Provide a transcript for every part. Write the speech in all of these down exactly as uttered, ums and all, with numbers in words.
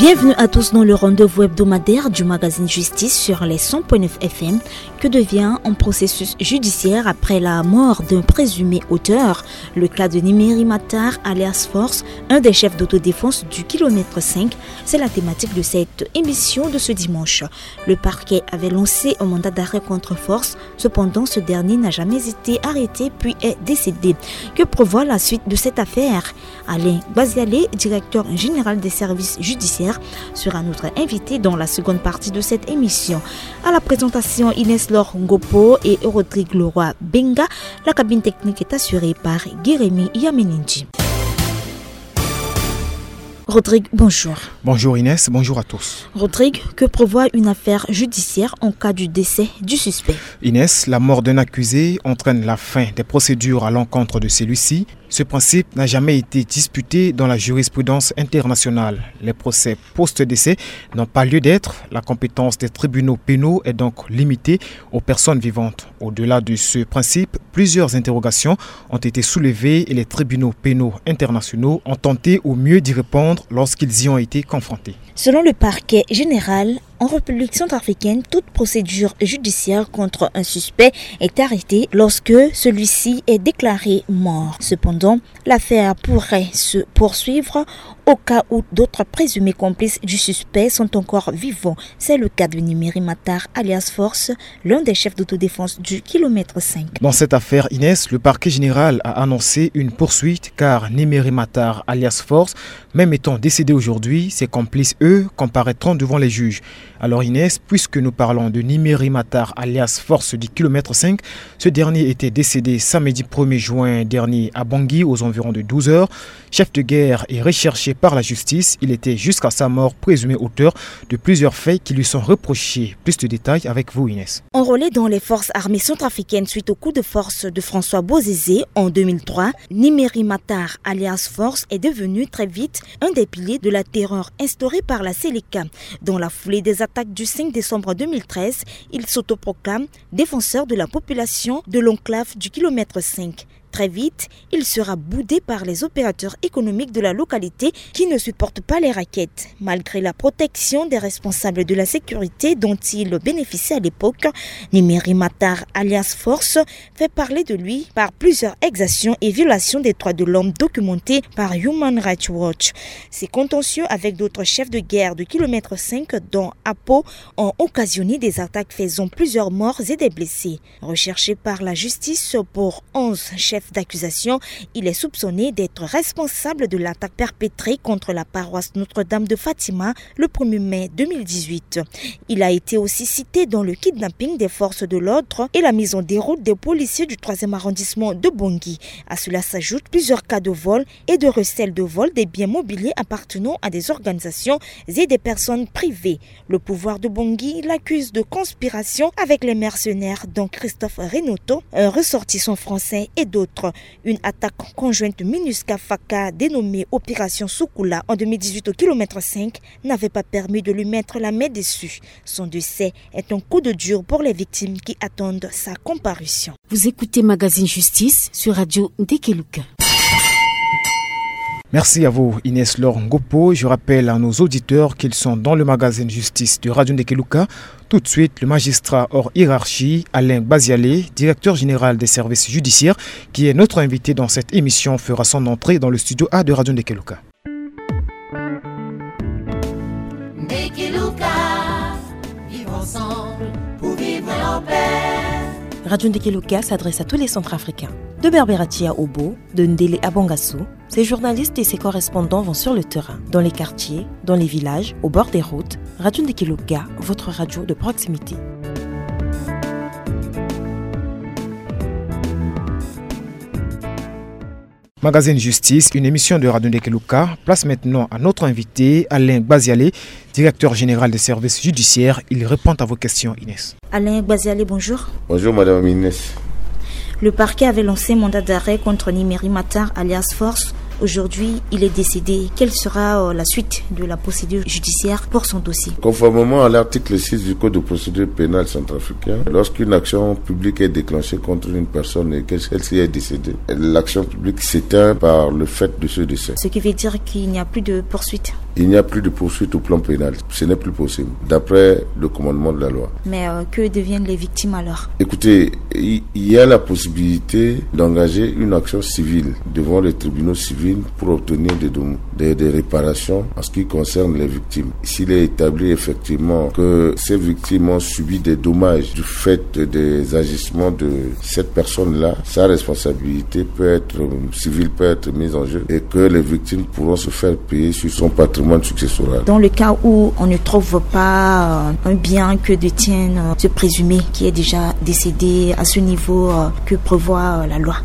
Bienvenue à tous dans le rendez-vous hebdomadaire du magazine Justice sur les cent point neuf F M. Que devient un processus judiciaire après la mort d'un présumé auteur ? Le cas de Nimeri Matar, alias Force, un des chefs d'autodéfense du kilomètre cinq, c'est la thématique de cette émission de ce dimanche. Le parquet avait lancé un mandat d'arrêt contre Force. Cependant, ce dernier n'a jamais été arrêté puis est décédé. Que prévoit la suite de cette affaire ? Alain Gbazialé, directeur général des services judiciaires, sera notre invité dans la seconde partie de cette émission. À la présentation, Inès Laure Ngopo et Rodrigue Leroy Benga. La cabine technique est assurée par Guérémy Yamenindji. Rodrigue, bonjour. Bonjour Inès, bonjour à tous. Rodrigue, que prévoit une affaire judiciaire en cas du décès du suspect ? Inès, la mort d'un accusé entraîne la fin des procédures à l'encontre de celui-ci. Ce principe n'a jamais été disputé dans la jurisprudence internationale. Les procès post-décès n'ont pas lieu d'être. La compétence des tribunaux pénaux est donc limitée aux personnes vivantes. Au-delà de ce principe, plusieurs interrogations ont été soulevées et les tribunaux pénaux internationaux ont tenté au mieux d'y répondre lorsqu'ils y ont été confrontés. Selon le parquet général, en République centrafricaine, toute procédure judiciaire contre un suspect est arrêtée lorsque celui-ci est déclaré mort. Cependant, l'affaire pourrait se poursuivre au cas où d'autres présumés complices du suspect sont encore vivants. C'est le cas de Nimeri Matar, alias Force, l'un des chefs d'autodéfense du kilomètre cinq. Dans cette affaire, Inès, le parquet général a annoncé une poursuite car Nimeri Matar, alias Force, même étant décédé aujourd'hui, ses complices, eux, comparaîtront devant les juges. Alors Inès, puisque nous parlons de Nimeri Matar alias Force du kilomètre cinq, ce dernier était décédé samedi premier juin dernier à Bangui aux environs de douze heures. Chef de guerre et recherché par la justice, il était jusqu'à sa mort présumé auteur de plusieurs faits qui lui sont reprochés. Plus de détails avec vous Inès. Enrôlé dans les forces armées centrafricaines suite au coup de force de François Bozizé en deux mille trois, Nimeri Matar alias Force est devenu très vite un des piliers de la terreur instaurée par la Seleka. Dans la foulée des attaques du cinq décembre deux mille treize, il s'autoproclame défenseur de la population de l'enclave du kilomètre cinq. Très vite, il sera boudé par les opérateurs économiques de la localité qui ne supportent pas les raquettes. Malgré la protection des responsables de la sécurité dont il bénéficiait à l'époque, Nimeri Matar, alias Force, fait parler de lui par plusieurs exactions et violations des droits de l'homme documentées par Human Rights Watch. Ces contentieux avec d'autres chefs de guerre de kilomètre cinq, dont Apo, ont occasionné des attaques faisant plusieurs morts et des blessés. Recherché par la justice pour onze chefs d'accusation, il est soupçonné d'être responsable de l'attaque perpétrée contre la paroisse Notre-Dame de Fatima le premier mai deux mille dix-huit. Il a été aussi cité dans le kidnapping des forces de l'ordre et la mise en déroute des policiers du troisième arrondissement de Bangui. À cela s'ajoutent plusieurs cas de vol et de recel de vol des biens mobiliers appartenant à des organisations et des personnes privées. Le pouvoir de Bangui l'accuse de conspiration avec les mercenaires dont Christophe Renato, un ressortissant français, et d'autres. Une attaque conjointe MINUSCA-FACA dénommée Opération Soukoula en deux mille dix-huit au kilomètre cinq n'avait pas permis de lui mettre la main dessus. Son décès est un coup de dur pour les victimes qui attendent sa comparution. Vous écoutez Magazine Justice sur Radio Ndekeluka. Merci à vous, Inès Laure Ngopo. Je rappelle à nos auditeurs qu'ils sont dans le magazine Justice de Radio Ndekeluka. Tout de suite, le magistrat hors hiérarchie, Alain Gbazialé, directeur général des services judiciaires, qui est notre invité dans cette émission, fera son entrée dans le studio A de Radio Ndekeluka. Ndekeluka, vivre ensemble pour vivre en paix. Radio Ndekeluka s'adresse à tous les Centrafricains. De Berberatia au Bo, de Ndele à Bangassou, ses journalistes et ses correspondants vont sur le terrain, dans les quartiers, dans les villages, au bord des routes. Radio Ndekeluka, votre radio de proximité. Magazine Justice, une émission de Radio Ndekeluka. Place maintenant à notre invité, Alain Gbazialé, directeur général des services judiciaires. Il répond à vos questions, Inès. Alain Gbazialé, bonjour. Bonjour, Madame Inès. Le parquet avait lancé un mandat d'arrêt contre Nimeri Matar, alias Force. Aujourd'hui, il est décédé. Quelle sera, euh, la suite de la procédure judiciaire pour son dossier ? Conformément à l'article six du Code de procédure pénale centrafricain, lorsqu'une action publique est déclenchée contre une personne et que celle-ci est décédée, l'action publique s'éteint par le fait de ce décès. Ce qui veut dire qu'il n'y a plus de poursuite. Il n'y a plus de poursuite au plan pénal. Ce n'est plus possible, d'après le commandement de la loi. Mais euh, que deviennent les victimes alors ? Écoutez, il y a la possibilité d'engager une action civile devant les tribunaux civils pour obtenir des, des, des réparations en ce qui concerne les victimes. S'il est établi effectivement que ces victimes ont subi des dommages du fait des agissements de cette personne-là, sa responsabilité peut être, euh, civile peut être mise en jeu et que les victimes pourront se faire payer sur son patrimoine successoral. Dans le cas où on ne trouve pas euh, un bien que détient euh, ce présumé qui est déjà décédé, à ce niveau, euh, que prévoit euh, la loi ?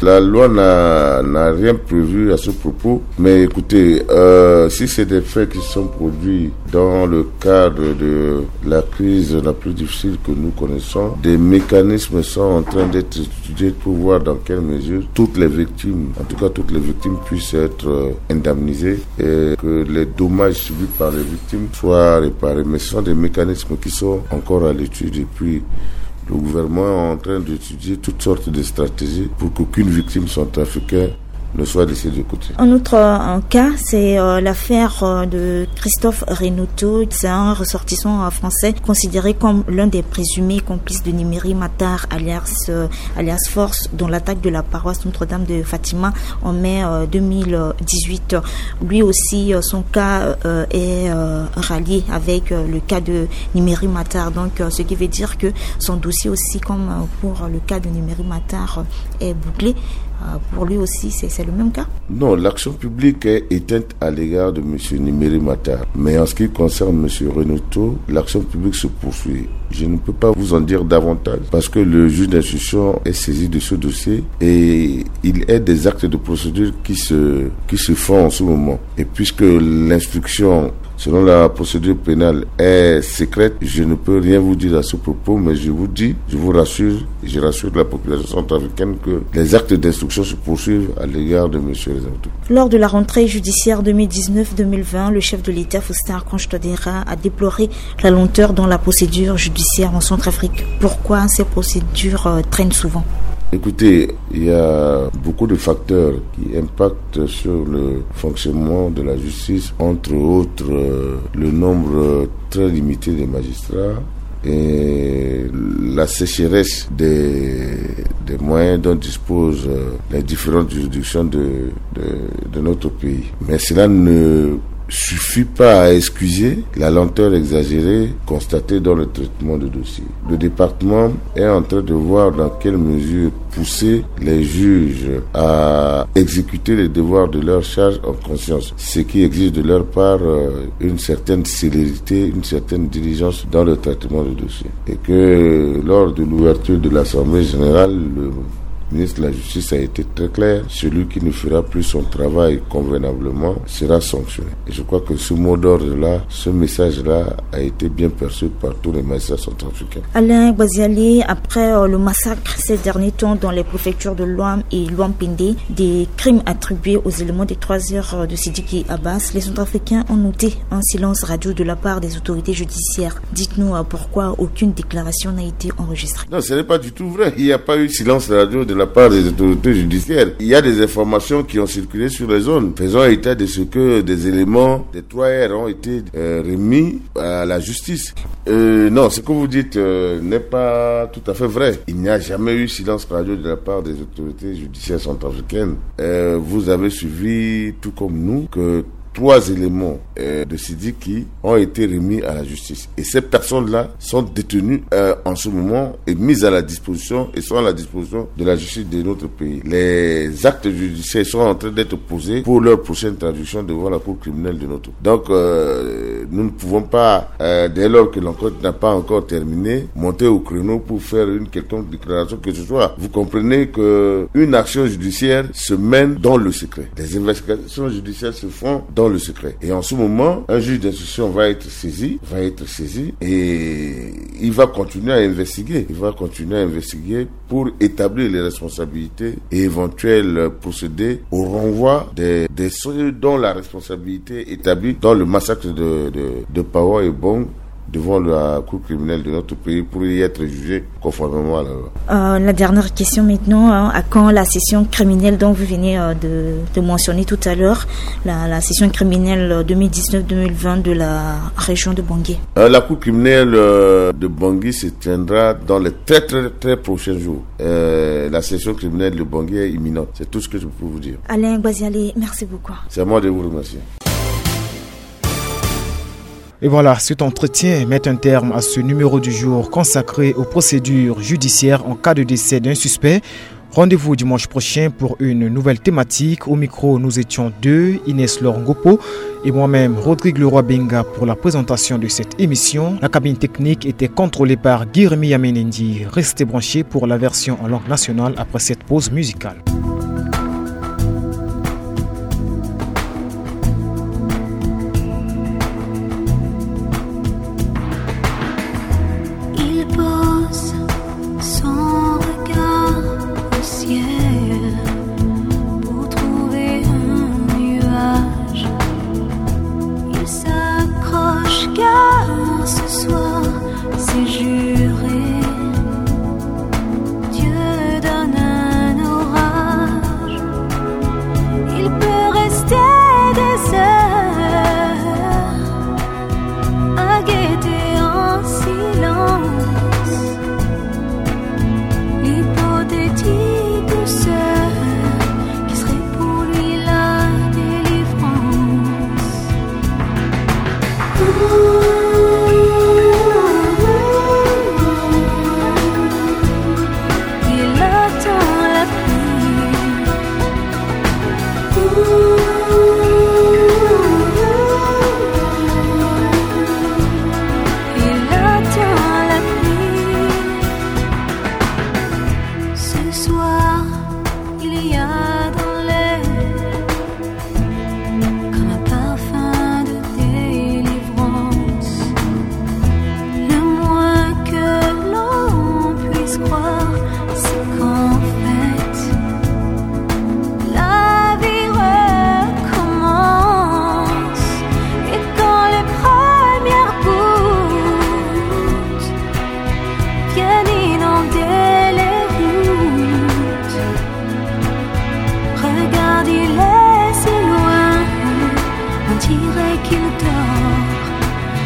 La loi n'a n'a rien prévu à ce propos, mais écoutez, euh, si c'est des faits qui sont produits dans le cadre de la crise la plus difficile que nous connaissons, des mécanismes sont en train d'être étudiés pour voir dans quelle mesure toutes les victimes, en tout cas toutes les victimes, puissent être euh, indemnisées et que les dommages subis par les victimes soient réparés. Mais ce sont des mécanismes qui sont encore à l'étude et puis le gouvernement est en train d'étudier toutes sortes de stratégies pour qu'aucune victime centrafricaine ne soit laissée de côté. Un autre euh, cas, c'est euh, l'affaire euh, de Christophe Renato. C'est un ressortissant euh, français considéré comme l'un des présumés complices de Nimeri Matar, alias, euh, alias Force, dont l'attaque de la paroisse Notre-Dame de Fatima en mai euh, deux mille dix-huit. Lui aussi, euh, son cas euh, est euh, rallié avec euh, le cas de Nimeri Matar. Donc, euh, ce qui veut dire que son dossier aussi, comme euh, pour le cas de Nimeri Matar, euh, est bouclé. Euh, pour lui aussi, c'est c'est le même cas. Non, l'action publique est éteinte à l'égard de monsieur Nimeri Matar. Mais en ce qui concerne monsieur Renato, l'action publique se poursuit. Je ne peux pas vous en dire davantage parce que le juge d'instruction est saisi de ce dossier et il est des actes de procédure qui se, qui se font en ce moment. Et puisque l'instruction, selon la procédure pénale, est secrète, je ne peux rien vous dire à ce propos, mais je vous dis, je vous rassure, et je rassure la population centrafricaine que les actes d'instruction se poursuivent à l'égard de monsieur Renato. Lors de la rentrée judiciaire deux mille dix-neuf deux mille vingt, le chef de l'État, Faustin Archange Touadéra, a déploré la lenteur dans la procédure judiciaire en Centrafrique. Pourquoi ces procédures euh, traînent souvent ? Écoutez, il y a beaucoup de facteurs qui impactent sur le fonctionnement de la justice, entre autres euh, le nombre très limité des magistrats et la sécheresse des, des moyens dont disposent euh, les différentes juridictions de, de, de notre pays. Mais cela ne suffit pas à excuser la lenteur exagérée constatée dans le traitement de dossiers. Le département est en train de voir dans quelle mesure pousser les juges à exécuter les devoirs de leur charge en conscience, ce qui exige de leur part euh, une certaine célérité, une certaine diligence dans le traitement de dossiers. Et que lors de l'ouverture de l'Assemblée générale, le ministre de la Justice a été très clair, celui qui ne fera plus son travail convenablement sera sanctionné. Et je crois que ce mot d'ordre-là, ce message-là a été bien perçu par tous les magistrats centrafricains. Alain Gbaziali, après euh, le massacre ces derniers temps dans les préfectures de Loam et Loampende, des crimes attribués aux éléments des trois heures euh, de Sidiki Abbas, les Centrafricains ont noté un silence radio de la part des autorités judiciaires. Dites-nous euh, pourquoi aucune déclaration n'a été enregistrée. Non, ce n'est pas du tout vrai. Il n'y a pas eu silence radio de la part des autorités judiciaires. Il y a des informations qui ont circulé sur les zones, faisant état de ce que des éléments des trois R ont été euh, remis à la justice. Euh, non, ce que vous dites euh, n'est pas tout à fait vrai. Il n'y a jamais eu silence radio de la part des autorités judiciaires centrafricaines. Euh, vous avez suivi, tout comme nous, que trois éléments euh, de Sidiki ont été remis à la justice. Et ces personnes-là sont détenues euh, en ce moment et mises à la disposition et sont à la disposition de la justice de notre pays. Les actes judiciaires sont en train d'être posés pour leur prochaine traduction devant la Cour criminelle de notre pays. Donc, euh, nous ne pouvons pas, euh, dès lors que l'enquête n'a pas encore terminé, monter au créneau pour faire une quelconque déclaration que ce soit. Vous comprenez que une action judiciaire se mène dans le secret. Les investigations judiciaires se font dans le secret. Et en ce moment, un juge d'instruction va être saisi, va être saisi et il va continuer à investiguer. Il va continuer à investiguer pour établir les responsabilités et éventuels procéder au renvoi des, des ceux dont la responsabilité est établie dans le massacre de, de, de Pawa et Bong devant la cour criminelle de notre pays pour y être jugé conformément à la loi. Euh, la dernière question maintenant, hein, à quand la session criminelle dont vous venez, euh, de, de mentionner tout à l'heure, la, la session criminelle, euh, deux mille dix-neuf deux mille vingt de la région de Bangui ? Euh, la cour criminelle, euh, de Bangui se tiendra dans les très, très, très prochains jours. Euh, la session criminelle de Bangui est imminente. C'est tout ce que je peux vous dire. Alain Gbazialé, merci beaucoup. C'est à moi de vous remercier. Et voilà, cet entretien met un terme à ce numéro du jour consacré aux procédures judiciaires en cas de décès d'un suspect. Rendez-vous dimanche prochain pour une nouvelle thématique. Au micro, nous étions deux, Inès Laure Ngopo et moi-même, Rodrigue Leroy Benga, pour la présentation de cette émission. La cabine technique était contrôlée par Guy Rémy Yamenendi. Restez branchés pour la version en langue nationale après cette pause musicale. Il pose son regard au ciel pour trouver un nuage. Il s'accroche car ce soir c'est juré. Dieu donne un orage. Il peut rester des heures à guetter en silence l'hypothétique sœur qui serait pour lui la délivrance. Il attend la pluie. Il attend la pluie. Ce soir, il y a dans l'air comme un parfum de délivrance. Le moins que l'on puisse croire, c'est qu'en fait, la vie recommence. Et quand les premières gouttes viennent inonder les routes, regarde, il est si loin, on dirait qu'il dort,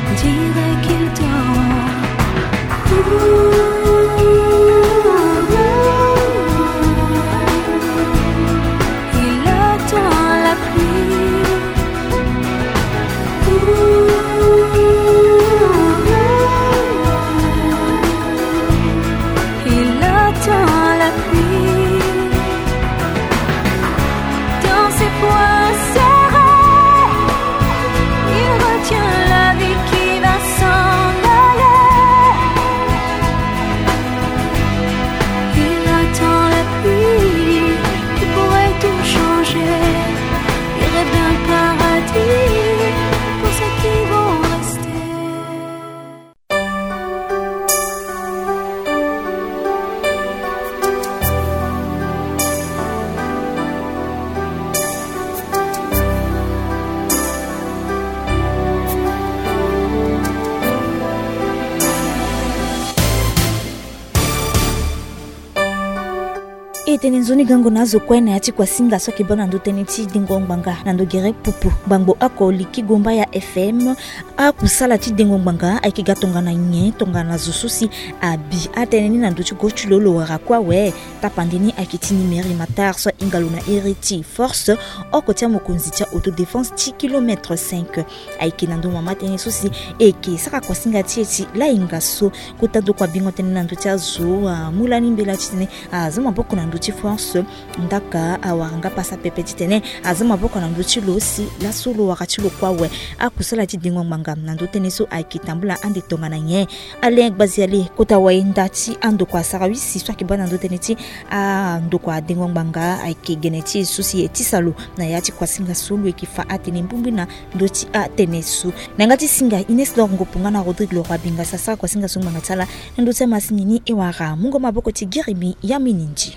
on dirait qu'il dort. Il attend la pluie. Il attend la pluie. Dans ses poings serrés, il retient la vie qui va s'en aller. Il attend la pluie qui pourrait tout changer. Il rêve d'un paradis pour ceux qui vont rester. E tene nzoni gango na azo kue na ya ti kuasinga so ayeke baa na ndö tënë ti dengo ngbanga na ndö gere pupu. Gbangbo oko liki gomba ya F M. Akusala ti dengo ngbanga ayeke ga tongana nyen tongana zo so si abi atënë ni na ndö ti go ti lo lo wara kue awe. Tapande ni ayeke ti Nimeri Matar so ahinga lo na iri ti Force, oko ti amokonzi ti a-autodéfense ti kilomètre cinq. Ayeke na ndö mama tënë so si e yeke sara kuasinga ti e ti lahinga so kota ndokua bingo tënë na ndö ti azo amu lani mbela titene aza maboko na ndö ti Force. Ndaka awara nga pasa pepe titene aza maboko na ndö ti lo si laso lo wara ti lo kue awe. Akusala ti dengo ngbanga na ndö tënë so ayeke tambula ande tongana nyen? Alain Gbazialé, kota wayenda ti andokua sarawisi so ayeke baa na ndö tënë ti andokua dengo ngbanga ayeke gene ti e so si e tisa lo na ya ti kuasinga so lo yeke fa atene mbongbi na ndö ti atënë so. Na yanga ti singa Inès Laure Ngopo nga na Rodrigue Leroy Binga si asara kuasinga so ngbanga ti ala na ndö ti amasini ni e wara mungo maboko ti Guy Rémy Yamenendi.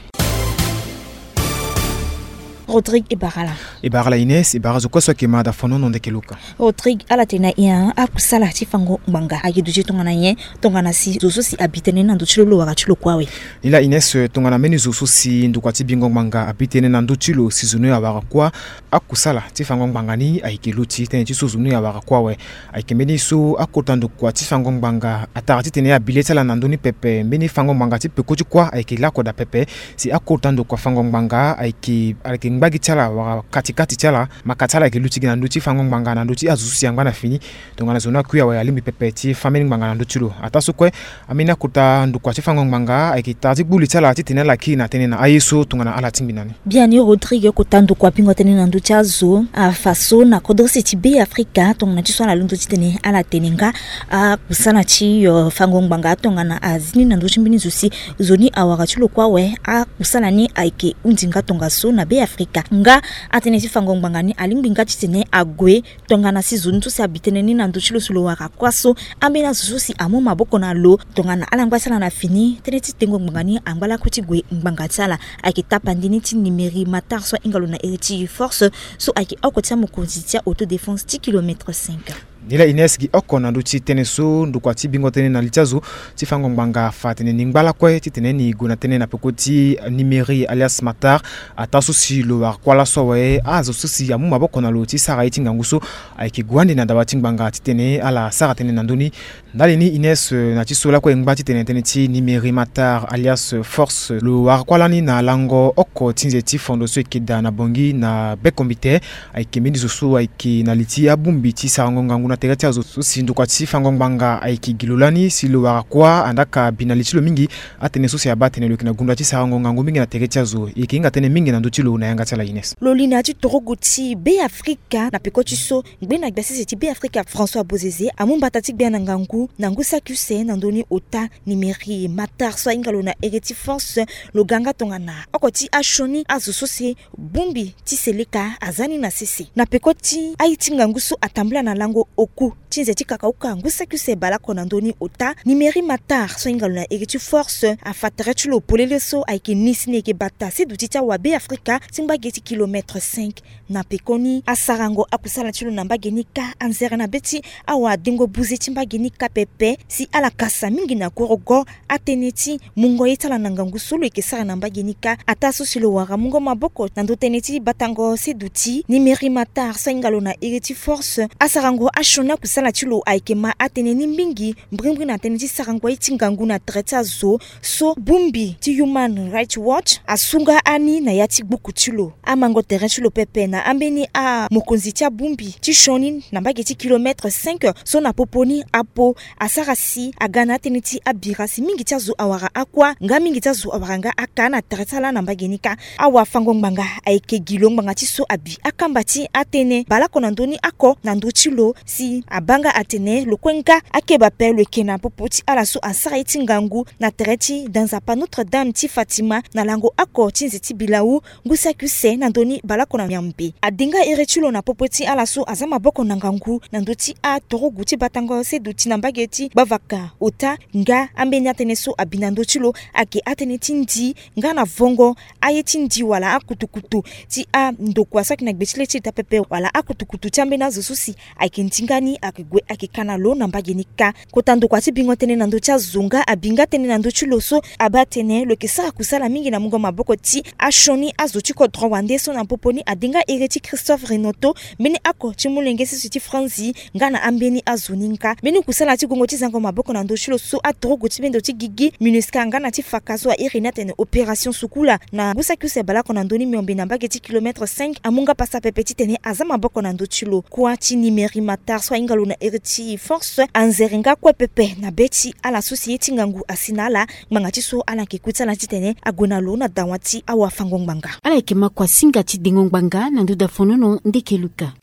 Rodrigue, e bara ala. E bara ala Ines, e bara azo kue so ayeke ma da fonono ndeke luka. Rodrigue, ala tene na nyen akusala ti fango ngbanga ayeke duti tongana nyen, tongana si zo so si abi tënë ni na ndö ti lo, lo wara ti lo kue awe? Ni laa Ines, tongana mbeni zo so si ndokua ti bingo ngbanga abi tënë na ndö ti lo si zo ni awara kuâ, akusala ti fango ngbanga ni ayeke luti tënë ti so zo ni awara kuâ awe. Ayeke mbeni so akota ndokua ti fango ngbanga atara titene abi le ti ala na ndö ni pepe. Mbeni fango ngbanga ti peko ti kuâ ayeke lakue daa pepe. Si akota ndokua fango ngbanga ayeke, ayeke ngba gi ti ala wala kati kati ti ala, maka ti ala ayeke luti gi na ndö ti fango ngbanga na ndö ti azo so si angba na fini. Tongana zo ni akui awe, alingbi pepe ti fâ mbeni ngbanga na ndö ti lo. Ataa so kue, ambeni akota ndokua ti fango ngbanga ayeke tara ti gbu li ti ala titene ala kiri na tënë na aye so tongana ala tingbi na ni. Biani Rodrigue, kota ndokua bingo tënë na ndö ti azo afa so na kodro use ti Be Afrika, tongana ti so ala londo titene ala tene nga akusala ti, euh, fango ngbanga tongana azi ni na ndö ti mbeni zo si zo ni awara ti lo kue awe, akusala ni ayeke hundi nga tongaso na Be Afrika. Nga atënë ti fango ngbanga ni alingbi nga titene ague tongana si zo ni so si abi tënë ni na ndö ti lo si lo wara kuâ so, ambeni azo so si amu maboko na lo, tongana ala ngba ti ala na fini, tënë ti tengo ngbanga ni angba lakue ti gue ngbanga ti ala. Ayeke tapandi ni ti Nimeri Matar so ahinga lo na iri ti Force, so ayeke oko ti amokonzi ti a-autodéfense ti kilomètre cinq. Ni laa Ines, gi oko na ndö ti tënë so ndokua ti bingo tënë na li ti azo ti fango ngbanga afa atene ni ngba lakue titene ni gue na tënë na peko ti Nimeri alias Matar, ataa so si lo wara kuâ laso awe, azo so si amu maboko na lo ti sara ye ti ngangu so ayeke gue ande na dawa ti ngbanga titene ala sara tënë na ndö ni. Ndali ni Ines, euh, na ti so lakue e ngba titene tënë ti Nimeri Matar alias Force, lo wara kuâ lani na lango oko ti nze ti fondo so e yeke daa na Bangui na Bekombite. Ayeke mbeni zo so ayeke na li ti abongbi ti sarango ngangu na tere ti azo so si ndokua ti fango ngbanga ayeke gi lo lani si lo wara kuâ, andaa ka bi na li ti lo mingi. Atënë so si abaa atene lo yeke na gunda ti sarango ngangu mingi na tere ti azo, e yeke hinga tënë mingi na ndö ti lo na yanga ti ala Ines. Lo li na ya ti torogo ti Be Afrika na peko ti so ngbene gbia sese ti Be Afrika François Bozizé amu mbata ti gbia na ngangu na ngu saki use na ndö ni ota Nimeri Matar so ahinga lo na iri ti Force. Lo ga nga tongana oko ti asioni azo so si bongbi ti seleka aza ni na sese. Na peko ti aye ti ngangu so atambula na lango oku ti nze ti kakauka ngu saki use baleoko na ndö ni ota, Nimeri Matar so ahinga lo na iri ti Force afa tere ti lo polele so ayeke ni si ni yeke bata seduti ti awa Be Afrika ti ngba ge ti kilomètre cinq. Na pekoni asarango akusala ti lo na mbage ni kâ, anzere na be ti awadengo buze ti mbage ni kâ pepe si ala kasa mingi na korogo atënë ti mungo ye ti ala na ngangu so lo yeke sara na mbage ni kâ. Ataa so si lo wara mungo maboko na ndö tënë ti batango seduti Nimeri Matar so ahinga lo na iri ti Force, asarango asioni akusala ti lo ayeke ma atënë ni mingi mbrimbri na tënë ti sarango ye ti ngangu na tere ti azo. So bongbi ti Human Rights Watch asu nga ani na ya ti gbuku ti lo. Amango tere ti lo pepe na ambeni amokonzi ti abongbi ti sioni na mbage ti kilomètre cinq so na popo ni apo asara si aga na atënë ti abira si mingi ti azo awara akua nga mingi ti azo awara nga aka na tere ti ala na mbage ni kâ. Awafango-ngbanga ayeke gi lo ngbanga ti so abi akamba ti atënë baleoko na ndö ni oko na ndö ti lo si abaa nga atene lo kue nga akeba ape lo yeke na popo ti ala so asara ye ti ngangu na tere ti da nzapa Notre-Dame ti Fatima na lango oko ti nze ti bilau ngu saki use na ndö ni baleoko na miambe. Adi nga iri ti lo na popo ti ala so aza maboko na ngangu na ndö ti atorogu ti batango seduti na mbage ti gbavaka ota nga ambeni atënë so abi na ndö ti lo ayeke atënë ti ndi nga na vongo aye ti ndi wala akutukutu ti andokua so ayeke na gbe ti le ti ita pepe wala akutukutu ti ambeni azo so si ayeke ndinga ni ayeke gue ayeke ka na lo na mbage ni kâ. Kota ndokua ti bingo tënë na ndö ti azo nga abi nga tënë na ndö ti lo so abaa atene lo yeke sara kusala mingi na mungo maboko ti asioni azo ti kodro wande so na popo ni adi nga iri ti Christophe Rinoto, mbeni oko ti molenge sese ti Franzi nga na ambeni azo ni nga. Mbeni kusala ti gongo ti zango maboko na ndö ti lo so atorogo ti bendo ti gigi MINUSCA nga na ti faka so airi ni atene opération sukula na ngu saki use baleoko na ndö ni miombe na mbage ti kilomètre cinq amu nga pasa pepe titene aza maboko na ndö ti lo. Kuâ ti Nimeri Matar so ahinga lo na iri ti Force anzere nga kue pepe na be ti ala so si ye ti ngangu asi na ala ngbanga ti so ala yeke ku ti ala titene ague na lo na dawa ti awafango-ngbanga. Ala yeke ma kuasinga ti dengo ngbanga na ndö dafonono ndeke luka.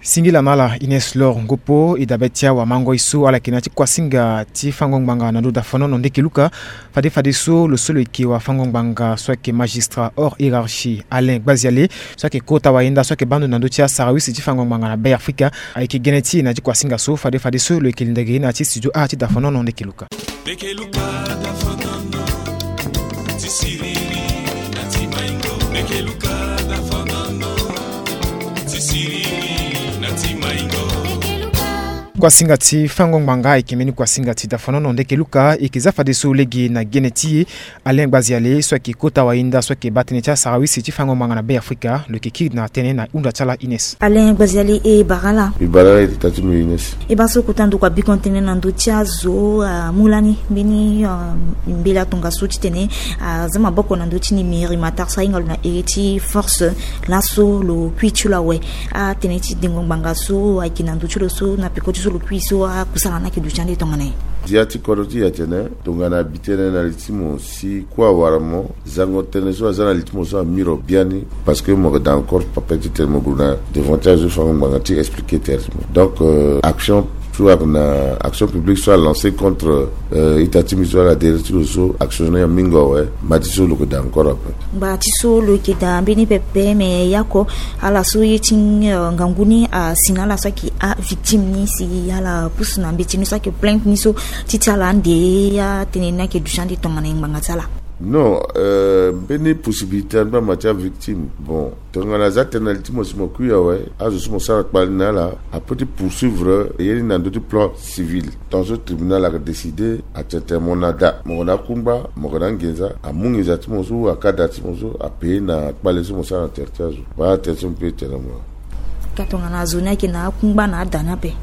Singila na ala Ines Lor Ngopo. E dabe ti awamangoi so ala yeke na ya ti kuasinga ti fango ngbanga na ndö dafonono ndeke luka. Fade fadeso lo so lo yeke wafango-ngbanga so ayeke magistrat hors hiérarchie Alain Gbaziale so ayeke kota wayenda so ayeke baa ndo na ndö ti asarawisi ti fango ngbanga na Be Afrika ayeke gene ti e na ya ti kuasinga so. Fade fadeso lo yeke linda ge na ya ti studio A ti dafonono ndeke luka. Ndeke luka dafonono ti siriri na ti maingo. Kuasinga ti fango ngbanga ayeke mbeni kuasinga ti dafonono. Ndeke luka e yeke za fadeso lege na gene ti e. Alain Gbaziale so ayeke kota wahinda so ayeke baa tënë ti asarawisi ti fango ngbanga na Be Afrika lo yeke kiri na tënë na hunda ti ala Ines. Alain Gbaziale, e bara ala. E bara ala, e tita ti mbi Ines. E baa so kota ndokua biko tënë na ndö ti azo amu lani mbeni mbela tongaso titene aza maboko na ndö ti nimeri matar so ahinga lo na ere ti force. Laso lo kui ti lo awe. Atënë ti dengo ngbanga so ayeke na ndö ti lo so na peko ti so lo kui so akusala ni ayeke duti ande tongana nyen? Ndia ti kodro ti e atene tongana abi tënë na li ti mo si kue awara mo, zango tënë so aza na li ti mo so amiro biani. Parce que mo yeke daa encore pape titene mo gue na devant ti azo ti fango ngbanga ti expliquer tere ti mo. Donc action so ayeke na action publique so alance contre ita ti mbi so ala dere ti lo so action ni amingo awe. Mba ti so lo yeke daa encore ape. Mba ti so lo yeke daa mbeni pepe me yako ala so ye ti ngangu ni asi na ala so ayeke avictime ni si ala pusu na mbeti ni so ayeke plainte ni so ti ti ala ande atënë ni ayeke duti ande tongana nyen ngbanga ti ala? Non, mbeni possibilité angba ma ti avictime. Bon, tongana aza tënë na li ti mo si mo kui awe, azo so mo sara kpale na ala apeut ti poursuivre ye ni na ndö ti plan civil. Tant so tribunal ayeke décider atene mo na da, mo yeke na akungba, mo yeke na anginza, amu nginza ti mo so, akada ti mo so apaye na kpale so mo sara na tere ti azo. Baa tënë so mbi pe tene na mo. Ka tongana azo ni ayeke na akungba na ada ni ape?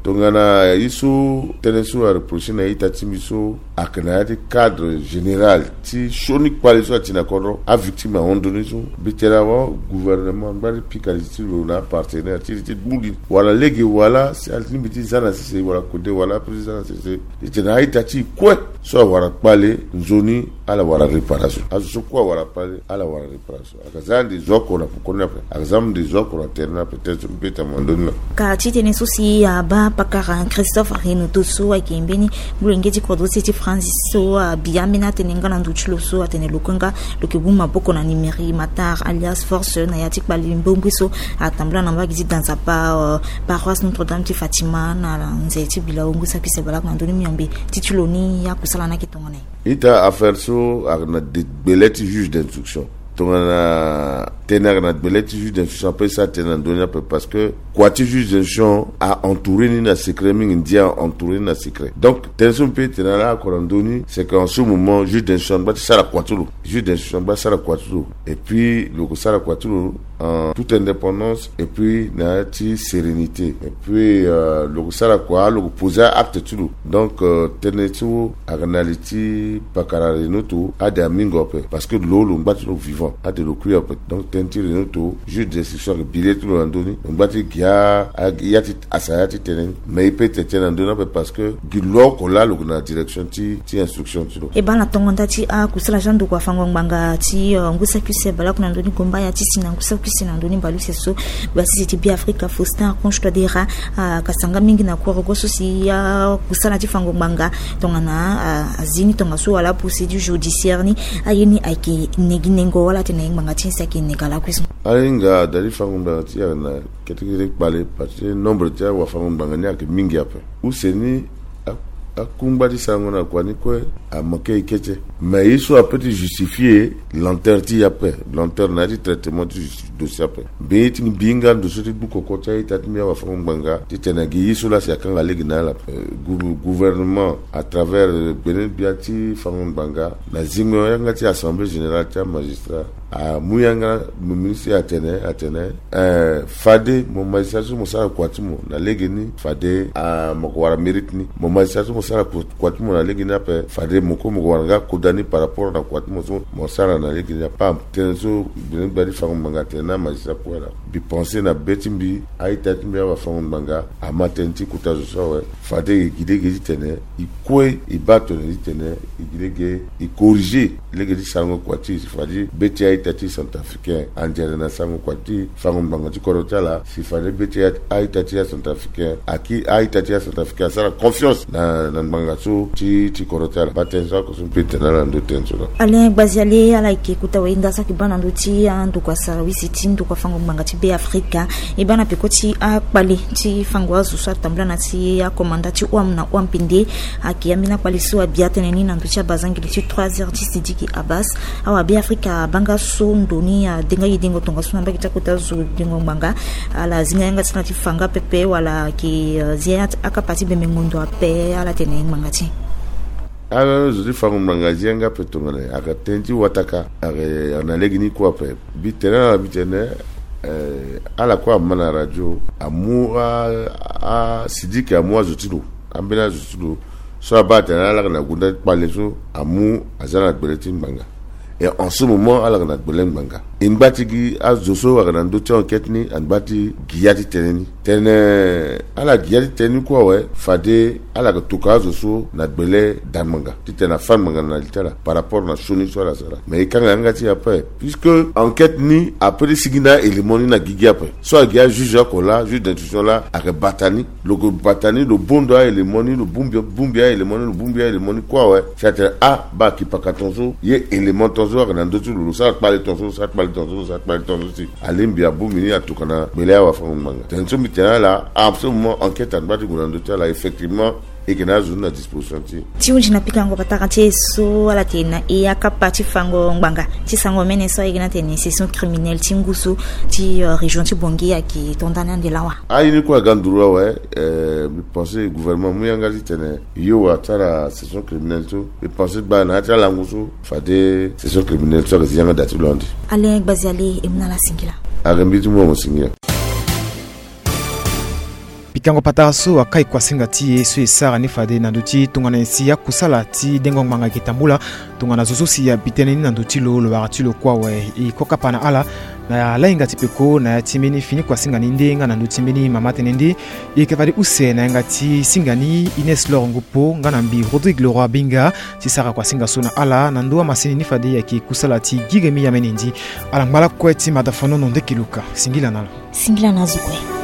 Tongana ye so tënë so areprocher na ita ti mbi so ayeke na ya ti cadre général ti sioni kpale so ati na kodro, avictime ahon ndoni so. Mbi tene awa gouvernement angba ti pika li ti lo na apartenaire ti li ti gbu li wala lege wala si alingbi ti za na sese wala kode wala ape ti za na sese. Titene a-ita ti e kue so awara kpale nzoni ala wara réparation. Azo so kue awara kpale ala wara réparation. Ayeke za ande zo oko na poko ni ape. Ayeke za ande zo oko na tere ni ape. Tënë so mbi pe tene na ndö ni laa. Ka ti tënë so si abaa pakara Christophe Renato so ayeke mbeni molenge ti kodro ti e ti France so abi ambeni atënë nga na ndö ti lo so atene lo kue nga lo yeke mu maboko na Nimeri Matar alias Force na ya ti kpale mbombi so atambula na mbage ti Danzapa, paroisse Notre-Dame ti Fatima na nze ti Bila Wongo Sakuse Balak na ndö ni miombe. Ti ti lo ni akusala ni ayeke tongana nyen? Ita affaire so ayeke na de gbele ti juge d'instruction. Tongana tënë ayeke na gbele ti juge d'instruction ape, e sara tënë na ndö ni ape parce que kua ti juge d'instruction a entouré ni na secret mingi, ndia a entouré ni na secret. Donc tënë so mbi pe tene na ala oko na ndö ni, c'est que en ce moment juge d'instruction angba ti sara kua ti lo. Juge d'instruction angba ti sara kua ti lo. Et puis lo yeke sara kua ti lo en toute indépendance et puis na ya ti sérénité. Et puis lo yeke sara kua, lo yeke poser acte ti lo. Donc tënë so ayeke na li ti pakara Renato, ade amingo ape parce que lo lo ngba ti lo vivant, ade lo kui ape. Donc tënë ti Renato, juge d'instruction ayeke bi le ti lo na ndö ni, lo ngba ti gi a ya ti asa ya ti tënë ni. Mais e pe tene tënë na ndö ni ape parce que gi lo oko laa lo yeke na direction ti ti instruction ti lo. E baa na tongo nda ti akusala ti andokua fango ngbanga ti ngu saki use baleoko na ndö ni gomba ya ti si na ngu saki use na ndö ni baleuse so gbasisi ti Be Afrika Faustin Archange Touadéra akasanga mingi na korogo so si akusala ti fango ngbanga tongana azi ni tongaso wala procédure judiciaire ni aye ni ayeke neginengo wala atene na ye ngbanga ti ni si ayeke nega lakue so. Ahinga da ti fango ngbanga ti e ayeke na ketekete kpale parce que nombre ti awafango ngbanga ni ayeke mingi ape. Use ni akungba ti sarango na kua ni kue amanke e kete. Mais ye so apeut ti justifier lenteur ti e ape, lenteur na ya ti traitement ti justice dossier ape. Mbi ye ti mbi nga ndo so ti gbu koko ti a-ita ti mbi awafango ngbanga titene gi ye so laa si akanga lege na ala ape. Gouvernement à travers gbene gbia ti fango ngbanga na zingo yanga ti assemblée générale ti amagistrat amu yanga mo ministre atene atene fade mo magistrat so mo sara kua ti mo na lege ni fade mo ko wara mérite ni. Mo magistrat so mo sara kua ti mo na lege ni ape fade mo kue mo ko wara nga koda ni par rapport na kua ti mo so mo sara na lege ni ape. Tënë so gbene gbia ti fango ngbanga atene na magistrat kue laa. Mbi pense na be ti mbi a-ita ti mbi awafango ngbanga ama tënë ti kota zo so awe. Fade e gi lege titene e kue e baa tongana titene e gi lege e corriger lege ti sarango kua ti e si fade be ti a-ita ti centrafricain anzere na sarango kua ti fango ngbanga ti kodro ti ala si fade be ti a-ita ti acentrafricain aki a-ita ti acentrafricain asara confiance na ngbanga so ti ti kodro ti ala. Baa tënë so oko so mbi pe tene na ala na ndö ti tënë so laa. Alain Gbaziale ala yeke kota wahinda so ayeke baa na ndö ti andokua sarawisi ti ndokua fango ngbanga ti Be Afrika. E baa na peko ti akpale ti fango azo so atambula na ti akomanda ti wam na wam pende. Ayeke ambeni akpale so abi atënë ni na ndö ti abazangele ti trois heures ti Sidiki Abbas. Awa Be Afrika abaa nga So ndo ni adenga ye dengo tongaso na mbage ti akota zo dengo ngbanga, ala zinga yanga ti na ti fa nga pepe wala ayeke zia akapa ti bembe ngondo ape? Ala tene ngbanga ti ala zo ti fango ngbanga zia nga ape tongana ayeke tënë ti wataka ayeke na lege ni kue ape. Mbi tene ala mbi tene, eh, ala kue ama na radio amu a, a sidiki amu azo ti lo, ambeni azo ti lo. So abaa atene ala yeke na gonda ti kpale so amu aza na gbele ti ngbanga. Et en ce moment ala yeke na gbele ngbanga. E ngba ti gi azo so ayeke na ndö ti enquête ni angba ti gi ya ti tënë ni. Tene ala gi ya ti tënë ni kue awe fade ala yeke toka azo so na gbele da ngbanga titene afa ngbanga na li ti ala par rapport na sioni so ala sara. Mais e kanga yanga ti e ape puisque enquête ni ape ti sigi na élément ni na gigi ape. So agi ajuge oko laa, juge d'instruction laa ayeke bata ni. Lo ke bata ni, lo bondo aélément ni, lo bongbi, bongbi aélément ni, lo bongbi aélément ni kue awe. Si atene ah, baa kipaka tongaso, ye élément tongaso ayeke na ndö ti lo, lo sara kpale tongaso, lo sara kpale tongaso, lo sara kpale tongaso si alingbi abongbi ni atuka na gbele awafango-ngbanga. Tene so mbi tene ala, en ce moment enquête angba ti gue na ndö ti ala, effectivement e yeke na azo ni na disposition ti e. Ti hunzi na pikango patara ti e so ala tene na e akapa ti fango ngbanga ti sango mene so ayeke na tene session criminelle ti ngu so ti, euh, région ti Bangui ayeke to nda ni ande lawa. Aye ni kue aga nduru awe, eh, mbi pense gouvernement amu yanga ti tene yo wa ti ala session criminelle so. Mbi pense gbaa na ya ti alango so fade session criminelle so ayeke zi yanga da ti lo ande. Alain Gbaziale, e mu na ala singila. Ayeke mbi ti mu mo singila. Pikango patara so akai kuasinga ti e so e sara ni fade na ndö ti tongana nyen si akusala ti dengo ngbanga ayeke tambula. Tongana zo so si abi tënë ni na ndö ti lo, lo wara ti lo kue awe. E ko kapa na ala na lahinga ti peko na ya ti mbeni fini kuasinga ni nde nga na ndö ti mbeni mama tënë nde. E yeke fade use na yanga ti singa ni Ines Lor Ngupo nga na mbi Rodrigue Leroy Binga ti sara kuasinga so na ala na ndö amasini ni fade ayeke kusala ti Giremi Yamene Ndi. Ala ngba lakue ti mata fanono ndeke luka. Singila na ala. Singila na azo kue.